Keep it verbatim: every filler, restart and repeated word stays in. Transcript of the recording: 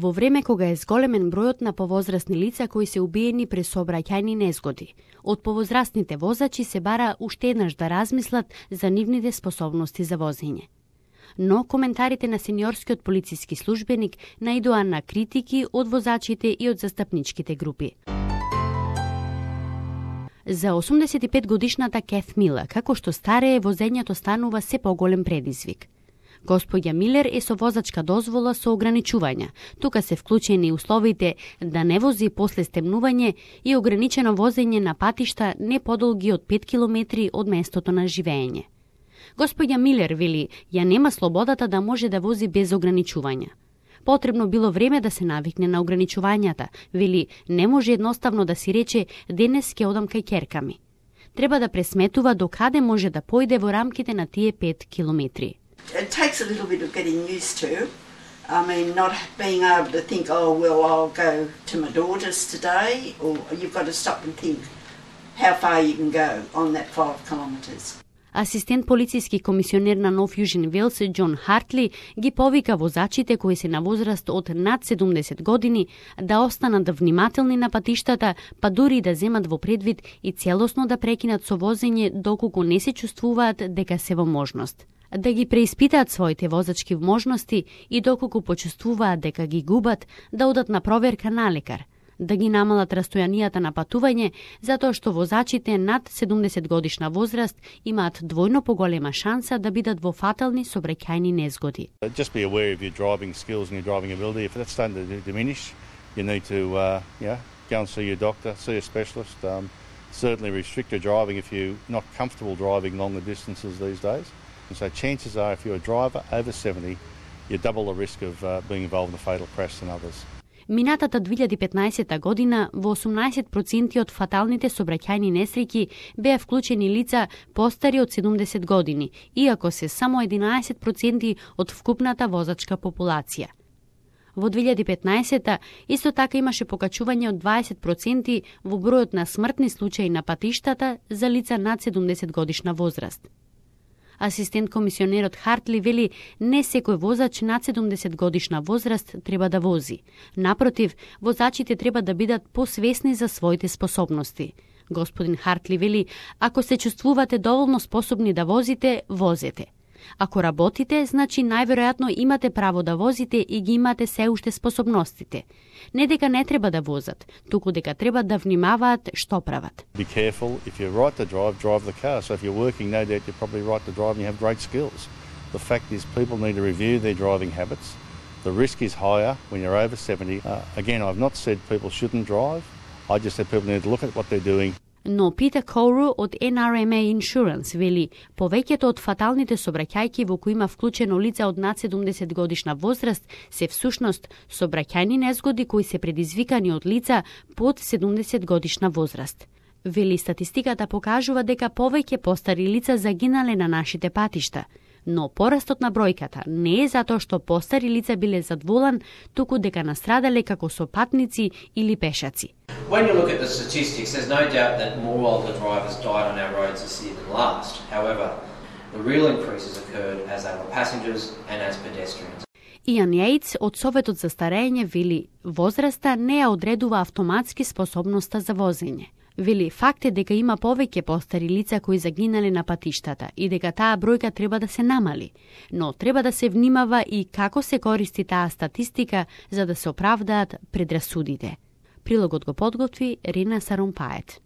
во време кога е зголемен бројот на повозрасни лица кои се убиени при сообраќајни незгоди. Од повозрастните возачи се бара уште еднаш да размислат за нивните способности за возење. Но коментарите на сениорскиот полициски службеник наидоа на критики од возачите и од застапничките групи. За осумдесет и пет годишната Кет Милер, како што старее, возењето станува се поголем предизвик. Господја Милер е со возачка дозвола со ограничувања. Тука се вклучени условите да не вози после стемнување и ограничено возење на патишта не подолги од пет километри од местото на живење. Господја Милер вели, ја нема слободата да може да вози без ограничувања. Потребно било време да се навикне на ограничувањата. Вели, не може едноставно да си рече денес ќе одам кај ќерка ми. Треба да пресметува до каде може да појде во рамките на тие пет километри. It takes a little bit of getting used to. I mean, not being able to think, oh, well, I'll go to my daughter's today, or you've got to stop and think how far you can go on that five kilometres. Асистент полициски комисионер на Нов Јужен Велс, Џон Хартли, ги повика возачите кои се на возраст од над седумдесет години да останат внимателни на патиштата, па дури да земат во предвид и целосно да прекинат со возење доколку не се чувствуваат дека се во можност. Да ги преиспитаат своите возачки можности и доколку почувствуваат дека ги губат, да одат на проверка на лекар, да ги намалат растојанијата на патување, затоа што возачите над седумдесет годишна возраст имаат двојно поголема шанса да бидат во фатални сообраќајни незгоди. Just be aware of your driving skills and your driving ability. If that's starting to diminish, you need to uh, yeah, go and see your doctor, see a specialist. Um, certainly restrict your driving if you're not comfortable driving longer distances these days. And so chances are, if you're a driver over seventy, you double the risk of uh, being involved in a fatal crash than others. Минатата две илјади и петнаесета година во осумнаесет проценти од фаталните сообраќајни несреќи беа вклучени лица постари од седумдесет години, иако се само единаесет проценти од вкупната возачка популација. Во две илјади и петнаесета исто така имаше покачување од дваесет проценти во бројот на смртни случаи на патиштата за лица над седумдесет годишна возраст. Асистент комисионерот Хартли вели, не секој возач над седумдесет годишна возраст треба да вози. Напротив, возачите треба да бидат посвесни за своите способности. Господин Хартли вели, ако се чувствувате доволно способни да возите, возете. Ако работите, значи најверојатно имате право да возите и ги имате се уште способностите. Не дека не треба да возат, туку дека треба да внимаваат што прават. Be careful, if you're right to drive, drive the car. So if you're working, no doubt you're probably right to drive and you have great skills. The fact is people need to review their driving habits. The risk is higher when you're over seventy. Uh, again, I've not said people shouldn't drive. I just said people need to look at what they're doing. Но Питер Коуру од Ен Ар Ем Ей Insurance вели, повеќето од фаталните сообраќајки во кои има вклучено лица од над седумдесет годишна возраст се всушност сообраќајни незгоди кои се предизвикани од лица под седумдесет годишна возраст. Вели, статистиката покажува дека повеќе постари лица загинале на нашите патишта, но порастот на бројката не е затоа што постари лица биле зад волан, туку дека настрадале како сопатници или пешаци. When you look at the statistics, there's no doubt that more older drivers died on our roads this year than last. However, the real increases occurred as they were passengers and as pedestrians. Иан Јејц од Советот за старење вели, возраста не ја одредува автоматски способноста за возење. Вели, факт е дека има повеќе постари лица кои загинале на патиштата и дека таа бројка треба да се намали, но треба да се внимава и како се користи таа статистика за да се оправдаат предрасудите. Прилогот го подготви Рина Сарумпает.